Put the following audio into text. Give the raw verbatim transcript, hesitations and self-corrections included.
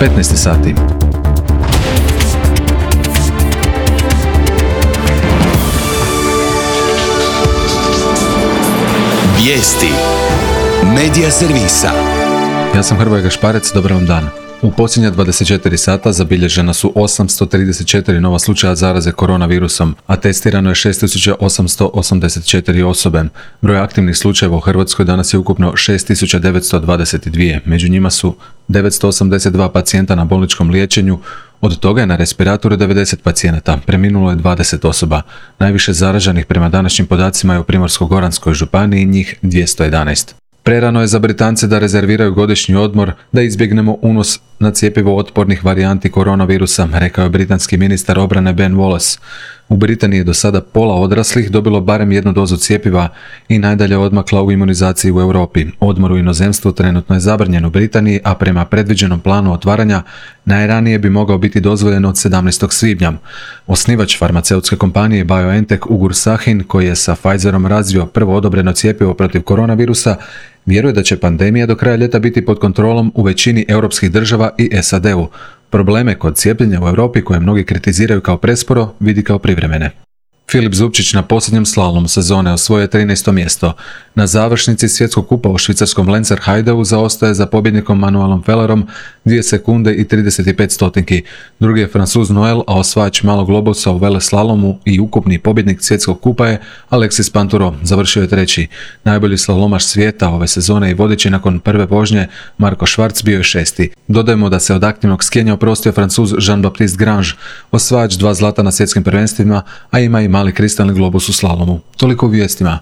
petnaest sati. Vijesti Medija servisa. Ja sam Hrvoje Gašparec, dobar vam dan. U posljednja dvadeset četiri sata zabilježena su osamsto trideset četiri nova slučaja zaraze koronavirusom, a testirano je šest tisuća osamsto osamdeset četiri osobe. Broj aktivnih slučajeva u Hrvatskoj danas je ukupno šest tisuća devetsto dvadeset dva, među njima su devetsto osamdeset dva pacijenta na bolničkom liječenju, od toga je na respiratoru devedeset pacijenata, preminulo je dvadeset osoba. Najviše zaraženih prema današnjim podacima je u Primorsko-goranskoj županiji, njih dvjesto jedanaest. Prerano je za Britance da rezerviraju godišnji odmor da izbjegnemo unos na cjepivo otpornih varijanti koronavirusa, rekao je britanski ministar obrane Ben Wallace. U Britaniji je do sada pola odraslih dobilo barem jednu dozu cjepiva i najdalje odmakla u imunizaciji u Europi. Odmor u inozemstvu trenutno je zabranjen u Britaniji, a prema predviđenom planu otvaranja najranije bi mogao biti dozvoljen od sedamnaestog svibnja. Osnivač farmaceutske kompanije BioNTech Ugur Sahin, koji je sa Pfizerom razvio prvo odobreno cjepivo protiv koronavirusa, vjeruje da će pandemija do kraja ljeta biti pod kontrolom u većini europskih država i S A D-u. Probleme kod cijepljenja u Europi, koje mnogi kritiziraju kao presporo, vidi kao privremene. Filip Zupčić na posljednjem slalomu sezone osvojio trinaesto mjesto. Na završnici svjetskog kupa u švicarskom Lenzerheideu zaostaje za pobjednikom Manuelom Fellerom dvije sekunde i trideset pet stotinki. Drugi je Francuz Noel, a osvajač malog globusa u veleslalomu i ukupni pobjednik svjetskog kupa je Alexis Pinturo, završio je treći. Najbolji slalomaš svijeta ove sezone i vodeći nakon prve vožnje Marko Schwarz bio je šesti. Dodajmo da se od aktivnog skijanja oprostio Francuz Jean-Baptiste Grange, osvajač dva zlata na svjetskim prvenstvima, a ima i mali kristalni globus u slalomu. Toliko u vijestima.